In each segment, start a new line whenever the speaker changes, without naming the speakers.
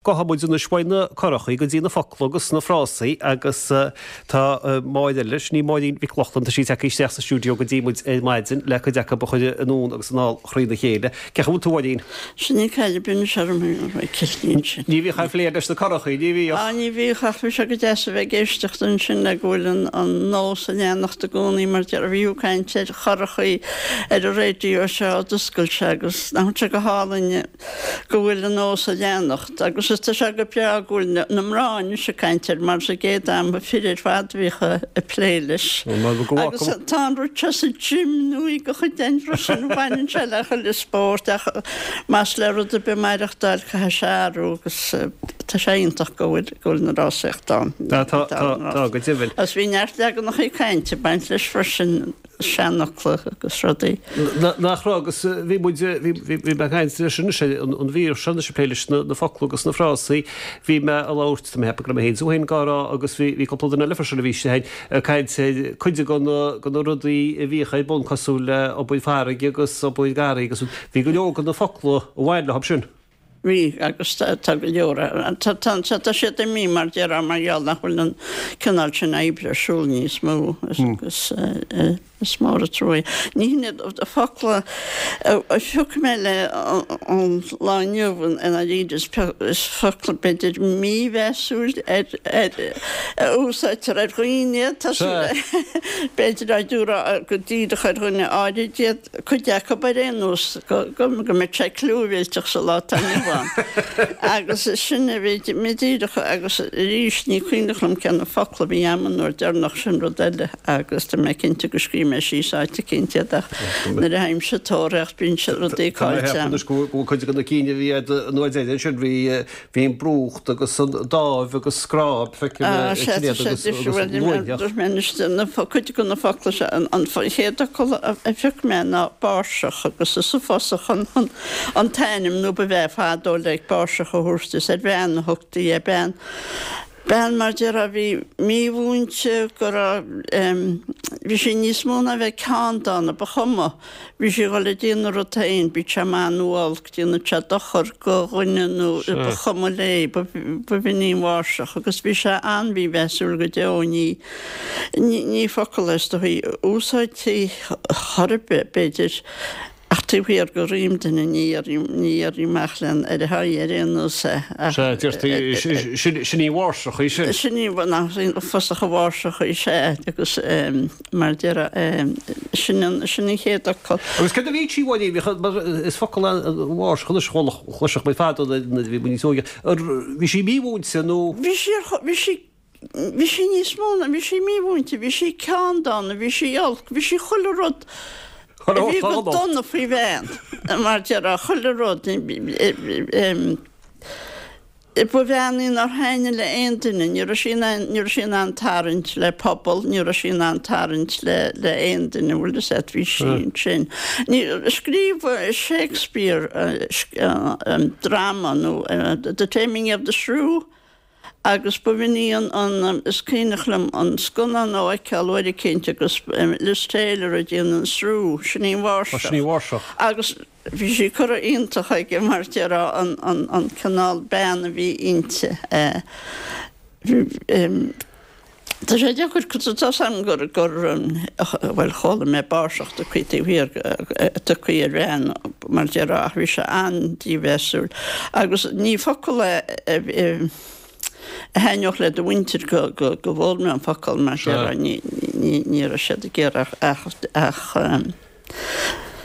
Gabhfaidh muid anois uaidh na curachaí go dtí na focla agus na frásaí agus tá Máire eile, sin í Máirín Mhic Lochlainn, tá sí tagtha isteach sa stiúideo go dtí muid ar maidin le cuid acu a chur anonn agus anall thrína chéile. Cén chaoi a bhfuil tú, a Mháirín?
Sin í caid a b'in orm ag cill ansin.
Ní bhíodh aon phlé leis na curachaí, ní bhíodh?
Á, ní bhíodh ach bhí sé go deas a bheith ag éisteacht ansin le go bhfuil an nós ag leanacht i gcónaí mar deir, bhí tú ag caint ar churachaí ar an raidió seo ó d'oscail sé agus nach bhfuil sé go hálainn go bhfuil an nós ag leanacht agus is tá sé go breá go bhfuil na mná anois ag caint air mar sa gcéad am ba fir ar fad a bhíodh ag plé leis. Agus tá an rud seo sa gym nó i go chuid den rud sin baineann sé le chuile spórt ach más le rud ar bith maireachtáil caithfidh sé athrú agus tá sé iontach go bhfuil go bhfuil na rásaíocht ann.
Tá tá tá go deimhin.
Agus bhí neart leaganacha cainte ag baint leis freisin. seanfhocla agus rudaí.
Nach raibh agus bhí muid, bhí mé ag caint leis anois ar an mhír seo anois ag plé leis na focla agus na frásaí, bhí mé ag labhairt, tá mé ag ceapadh go raibh mé féin is tú féin dhá rá agus bhí cúpla duine eile freisin a bhí istigh ag caint ar cuid de na rudaí a bhíodh ar bun cosúil le obair farraige agus obair garraí agus bhí go leor de na focla a bhain leo sin.
Bhí, agus tá go leor, tá, tá siad imithe mar déarfá mar gheall nach bhfuil an cineál sin oibre ar siúl níos mó agus is mór an trua é. Ní hin iad na focla a phioc mé le an lá inniu i ndáiríre, is focla b'fhéidir mímheasúil ar, ar, a úsáidtear ar dhaoine iad, tá súil, b'fhéidir á dtabharfá go díreach ar dhuine áirid iad. cuid acu ar aon nós, go mbeadh sé clúmhillteach sa lá atá inniu ann. Agus sin a bhí mé díreach agus arís ní cuimhneach liom cé na focla a bhí a'm an uair deireanach, sin rud eile agus tá mé cinnte go scríobh mé síos áit eicínt iad ach nuair a théimse ag tóraíocht bíonn siad rudaí caillte
a'm. Anois go bhfuil cuid de na cinn a bhí a'd an uair deireadh ansin, bhí Bhí an brúcht agus an dáimh agus scráib feicim
Ah, sea, tá sé difriúil. Dúirt mé anois, na, cuid de na focla seo, an chéad fhocal a phioc mé ná báirseach agus is sa bhfásach an, an t-ainm nó ba bhea fadó le báirseach a thabhairt, is ar bhean a thugtaí é, bean, bean mar déarfá a bhí mímhúinte, go raibh, bhí sí níos mó ná bheith ceanndána, ba chuma. Bhí sí ag dul ag déanamh a rud féin, bíodh sé maith nó olc, déanadh sé dochar go dhuine nó ba chuma léi, ba bh'in í an bháirseach agus bhí sé an-mhímheasúil go deo, ní, ní focal é is dóichí a úsáidtí chor ar bith, b'fhéidir, ach taobh thiar de dhroim duine, ní dhéarfaí, ní dhéarfaí amach len, ar a haghaidh ar aon nós é
ach. Sea, deirtí, sin í an bháirseach í sin.
Sin í, nach fosach an bháirseach í, sea, agus. Mar a déarfá, sin an, sin an chéad fhocal.
Agus céard a bhí sí, bhuel, bhí, mar is focal é an bháirseach anois, chuala, chloiseadh muid fadó nuair a bhí muid níos óige, bhí sí mímhúinte nó?
Bhí sí ar, bhí sí, bhí sí níos mó ná, bhí sí mímhúinte, bhí sí ceanndána, bhí sí olc, bhí sí chuile rud a bhí go dona faoi bhean, mar a déarfá, chuile rud. Ba bhean í nár thaitnigh le aon duine, ní raibh sí in ann, ní raibh sí in ann tarraingt le pobal, ní raibh sí in ann tarraingt le, le aon duine, bhfuil fhios a't, bhí sí ansin. Ní, scríobh Shakespeare dráma nó The Taming of the Shrew agus ba bh'in í an, an, is cuimhneach liom an scannán a fheiceáil uair eicínt agus Liz Taylor ag déanamh an Shrew, sin í an bháirseach.
Sin í an bháirseach.
Agus. Bhí sí curtha iontach aige mar déarfá an cineál bean a bhí inti. Tá sé deacair tá's a'm gur gur bhuel chuala mé báirseach tugtha taobh thiar tugtha ar bhean mar déarfá ach bhí sé an-dímheasúil agus ní focal é a thaitneodh le do mhuintir go go go bhfoghlaim mé an focal mar déarfá ní ní raibh siad ag iarraidh ach ach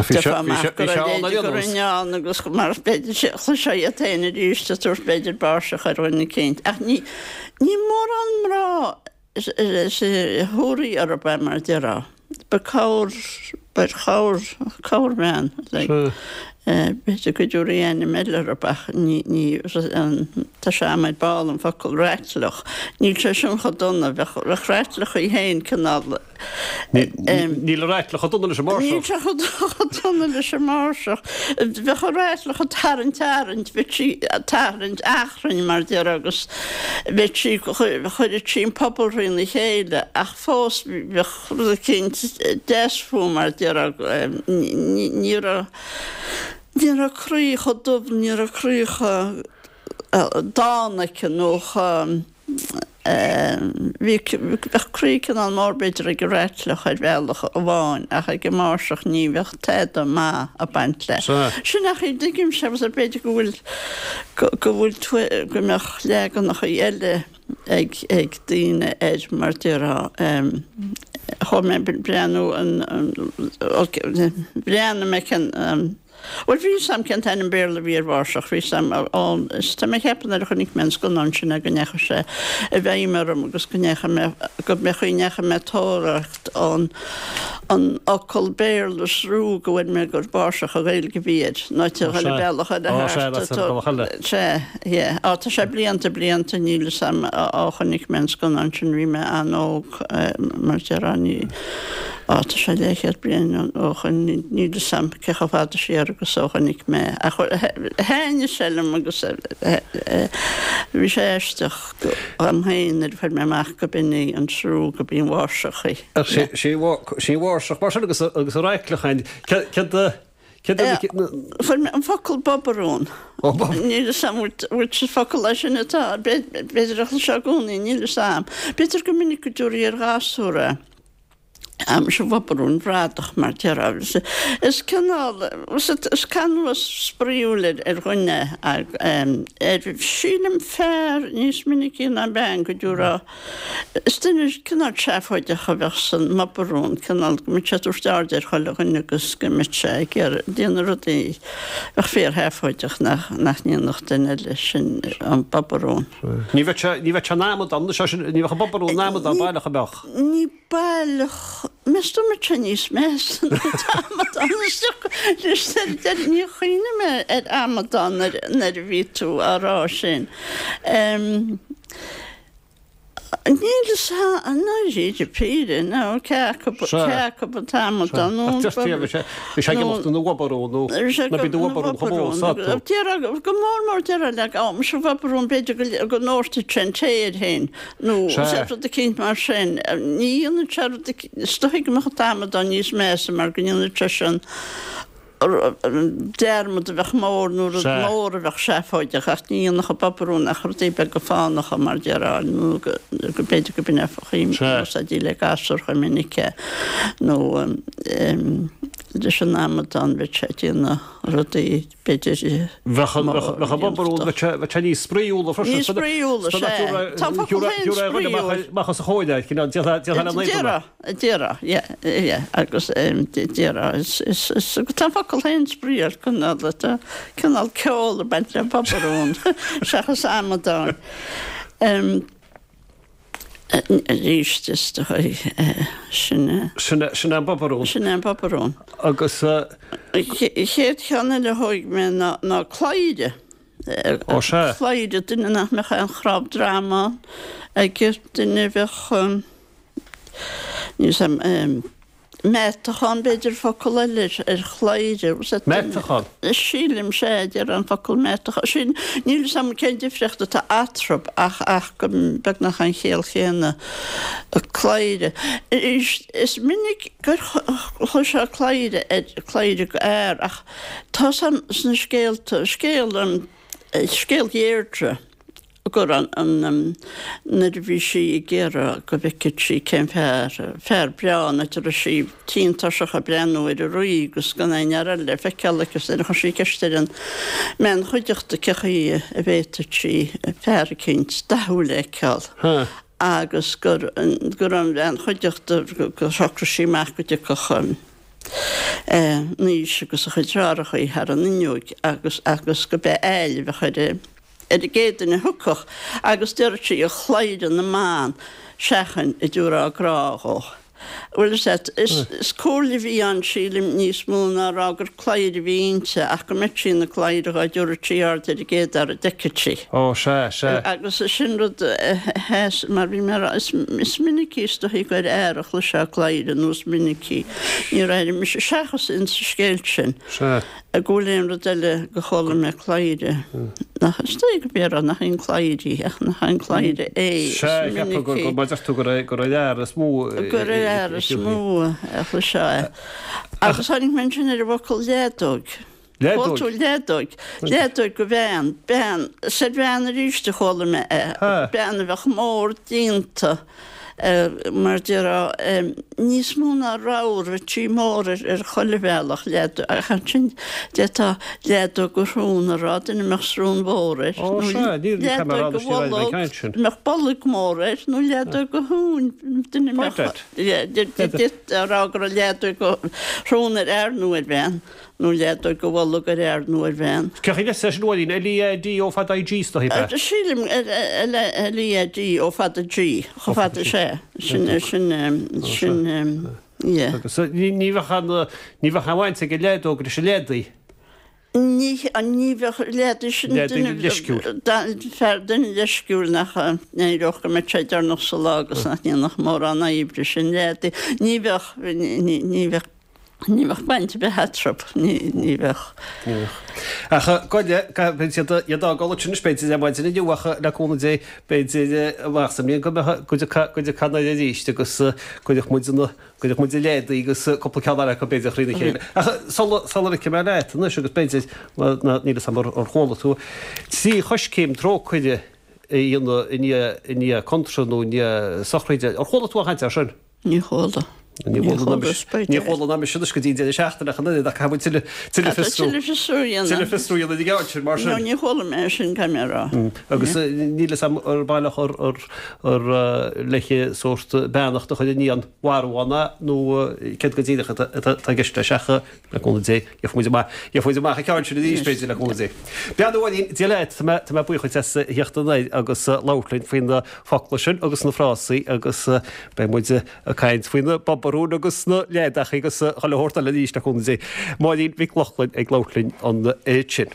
Déarfá amach go raibh leithéid go raibh ann agus mar b'fhéidir sé chloisfeá iad féin arís ag tabhairt b'fhéidir báirseach ar dhuine eicínt. Ach ní ní mórán mná a thabharfaí orthu é mar a déarfá. Ba corr ba chorr corrbhean like b'fhéidir go dtabharfaí ainm eile orthu ach ní ní tá sé a'm ar ball an focal raitleach. Níl sé sin chomh dona. Bheadh bheadh raitleach í féin cineál
Níl an raitleach chomh dona leis an
mbáirseach. Níl sé chomh dona leis an mbáirseach. Bheadh an raitleach ag tarraingt arraingt, bheadh sí ag tarraingt achrainn mar déarfá agus bheadh sí, chuirfeadh sí an pobal thrína chéile ach fós bheadh rud eicínt deas fúithi mar déarfá. Ní raibh, ní raibh croí chomh dubh, ní raibh croí chomh. dána aici nó chomh, bhí, bheadh croí cineál mór b'fhéidir ag an raitleach ar bhealach amháin ach ag an máirseach ní bheadh tada maith ag baint leis. Sin ach tuigimse agus b'fhéidir go bhfuil, go bhfuil tú, go mbeadh leaganacha eile ag, ag daoine air mar déarfá. Chuaigh mé ag breathnú an, bhreathnaigh mé cén, Bhuel, bhí 'fhios a'm cén t-ainm Béarla a bhí ar mháirseach, bhí 'fhios a'm ón, is tá mé ag ceapadh nuair a chonaic mé an scannán sin é go ndeachaigh sé i bhfeidhm orm agus go ndeachaigh mé, go mbeadh chaoi ndeachaigh mé ag tóraíocht an, an fhocal Béarla is rú go bhfuair mé gur báirseach an Ghaeilge a bhí air, nó te chuile bealach eile
Ó, sea,
thart,
that's ar bealach eile.
Sea, yeah. Á, tá sé blianta, blianta, níl 'fhios a'm ó chonaic mé an scannán sin, bhí mé an-óg, mar déarfá, ní, Á, tá sé leathchéad bliain ó shoin, níl 'fhios a'm cé chomh fada siar agus ó chonaic mé é, ach thaitnigh sé liom agus bhí sé aisteach dhom féin nuair a fuair mé amach go b'in í an srú, go b'í an mháirseach í.
Ach sí an mháirseach mar sin agus an raitleach féin, céard a, céard a.
Fuair mé an focal bobarún. Níl 'fhios a'm bhfuil sé focal é sin atá, b'fhéidir a chloisfeá i gcónaí, níl 'fhios a'm. B'fhéidir go minic go dtabharfaí ar ghasúr é. Á muise a bhobarúin bhradach mar déarfá. Is cineál, is canúint spraíúil ar dhuine ar, sílim fear níos minicí ná bean go dtabharfá, is duine cineál seafóideach a bheadh san mbobarún, cineál go mbeadh sé ag tabhairt aird ar chuile dhuine agus go mbeadh sé ag iarraidh déanamh rudaí a bheadh fíorsheafóideach nach ndéanfadh duine eile, sin an bobarún.
Ní bheadh sé, ní bheadh sé ina amadán, ní bheadh an bobarún ina amadán baileach an mbeadh?
Ní baileach, meas tú an mbeadh sé níos measa ná an t-amadán isteach Níor chuimhnigh mé ar amadán nuair a bhí tú á rá sin. Níl fhios a'm, ndáiríre píre, nó cé acu cé acu an t-amadán nó
an Bhí sé ag imeacht ina bhobarún nó ná bí do bhobarún chomh mór is atá tú.
Déarfá, go mór mór déarfá le, á, muise a bhobarún, b'fhéidir go ndóirtfeadh sé an tae air féin. Nó rud eicínt mar sin. Ní dhéanann sé rud eicínt, is dóigh go mbeadh an t-amadán níos measa mar go ndéanann seisean dearmad a bheadh mór nó rud mór a bheadh seafóideach ach ní dhéanfadh an bobarún ach rudaí beaga fánacha mar déarfá nó go b'fhéidir go b'in é an chaoi a úsáidtí le gasúr chomh minic é nó leis an amadán bheadh sé ag déanamh rudaí b'fhéidir.
Bheadh an bobarún, bheadh sé níos spraíúla
freisin. Níos spraíúla, sea. Tá an focal féin spraíúil.
Amach os a chomhair, cineál, déarfá le naoi
Déarfá, déarfá, yeah, yeah, agus déarfá, is, is, is, tá an focal féin spraíúil, cineál, tá cineál ceol ag baint le bobarún seachas amadán. Arís, is dóigh, sin
é. Sin é, sin é an bobarún.
Sin é an bobarún.
Agus.
An chéad cheann eile a thóig mé ná, ná cladhaire.
Ó sea.
Cladhaire, duine nach mbeadh aon chnámh droma aige, duine a bheadh, níl 's a'm, Meatachán, b'fhéidir, focal eile ar chladhaire.
Meatachán?
Sílim, sea, deir an focal meatachán. Sin, níl 'fhios a'm cén difríocht atá eatarthu ach, ach go beagnach an chiall chéanna. Cladhaire. Is minic gur chloisfeá cladhaire ar, cladhaire go fhear ach tá 'fhios a'm sna scéalta, scéal, scéal Dheirdre, gur an nuair a bhí sí ag iarraidh go bhfeicfeadh sí cén fear, fear breá, an áit a raibh sí tinn tuirseach ag breathnú ar an rí agus gan aon fhear eile le feiceáil aici agus chuir sí ceist ar an mbean chuideachta cé chaoi a bhféadfadh sí fear eicínt dathúil a fheiceáil agus gur gur an bhean chuideachta gur shocraigh sí amach go dtiocfadh Naoise agus a chuid deartháireacha thar an fhuinneoig agus agus go b'é Ailill a bheadh ar an ar an gcéad duine a thiocfadh agus déarfadh sí, a chladhaire na mban, seachain a dtabharfá grá dhó. Bhuel, is ea, is comhairle a bhí ann, sílim, níos mó ná a rá gur cladhaire a bhí inti, ach go mbeadh sí ina cladhaire dhá dtabharfadh sí aird ar an gcéad fhear a d'fheicfeadh sí.
Ó, sea, sea.
Agus sin rud a sheas, mar bhí mé a rá, is minicí is dóichí gur fhear a chloisfeá cladhaire nó is minicí, níor airigh mise, seachas insa scéal sin.
Sea.
Go bhfuil aon rud eile go chuala mé cladhaire, nach, is dóigh go b'fhéidir nach aon cladhaire í, ach nach aon cladhaire é, is
Sea, cheapfá gur, gur, mar deir tú, gur é, gur ar fhear is mó
a, gur ar fhear is mó a chloisfeá é. Agus tháinig mé ansin ar an bhfocal leadóg. Leadóg? Chuala tú leadóg? Leadóg go bhean. Bean. Is ar bhean arís a chuala mé é. Bean a bheadh mór déanta mar déarfá níos mó ná ramhar, bheadh sí mór ar chuile bhealach, leadóg. Ach ansin d'fhéadfá leadóg go srón a rá, duine a mbeadh srón mhór air.
Ó sea, níl
Leadóg go bholg, mbeadh bolg mór air, nó leadóg go thóin, duine a mbeadh. D'fhéadfá a rá go raibh leadóg go shrón ar fhear nó ar bhean. Nó leadóg go bholg ar fhear nó ar bhean.
Cén chaoi le sin a Mháirín? L-E-A-D-O fada I-G is dóigh, ab
ea? Sílim, L-E-A-D-O fada G, chomh fada is ea. Sin, sin, sin, yeah.
Agus ní bheadh aon, ní bheadh aon bhaint ag an leadóg leis an leadaí?
Ní, ní bheadh leadaí sin
duine, leisciúil.
Fear, duine leisciúil nach n-éireodh go mbeadh sé deireanach sa lá agus nach ndéanfadh mórán oibre, sin leadaí. Ní bheadh, ní, ní bheadh. Ní bheadh baint ar bith eatarthu, ní bheadh.
Ní bheadh. Ach goile, beidh siad iad á gcodladh sin anois, b'fhéidir, ar maidin inniu ach le cúnamh Dé, b'fhéidir amach sa mbliain go mbeadh go dtiocfadh canadh arís agus cuirfeadh muid na, cuirfeadh muid an leadaí agus cúpla ceann eile acu b'fhéidir thrína chéile. Ach sula, sula ligfidh mé leat anois agus b'fhéidir, níl a fhios agam ar chuala tú, trí choiscéim trócaire a dhéanamh i ndiaidh, i ndiaidh contráth nó i ndiaidh sochraide. Ar chuala tú aon chaint air sin?
Ní chuala.
Ní chuala ná mise. Ní chuala ná mise anois go dtí an deireadh seachtaine ach an oiread ach caithfidh muid tuilleadh tuilleadh fiosrú.
Tuilleadh fiosrú a dhéanamh.
Tuilleadh fiosrú a dhéanamh ag an sin mar sin.
No, ní chuala mé é sin, caithfidh mé a rá.
Agus níl fhios agam ar baileach ar ar ar leithe sórt beannacht a chur i ndiaidh an mharbháin nó céard go díreach atá atá i gceist leis ach Le cúnamh Dé, gheobhaidh muid amach, gheobhaidh muid amach an ceann sin arís, b'fhéidir, le cúnamh Dé. Bean a Mháirín, Dia leat, tá mé, tá mé buíoch duit as a theacht anoir agus labhairt linn faoi na focla sin agus na frásaí agus beidh muid ag caint faoi na bobarúin agus na leadachaí agus chuile shórt eile arís, le cúnamh Dé. Máirín Mhic Lochlainn ag labhairt linn ansin.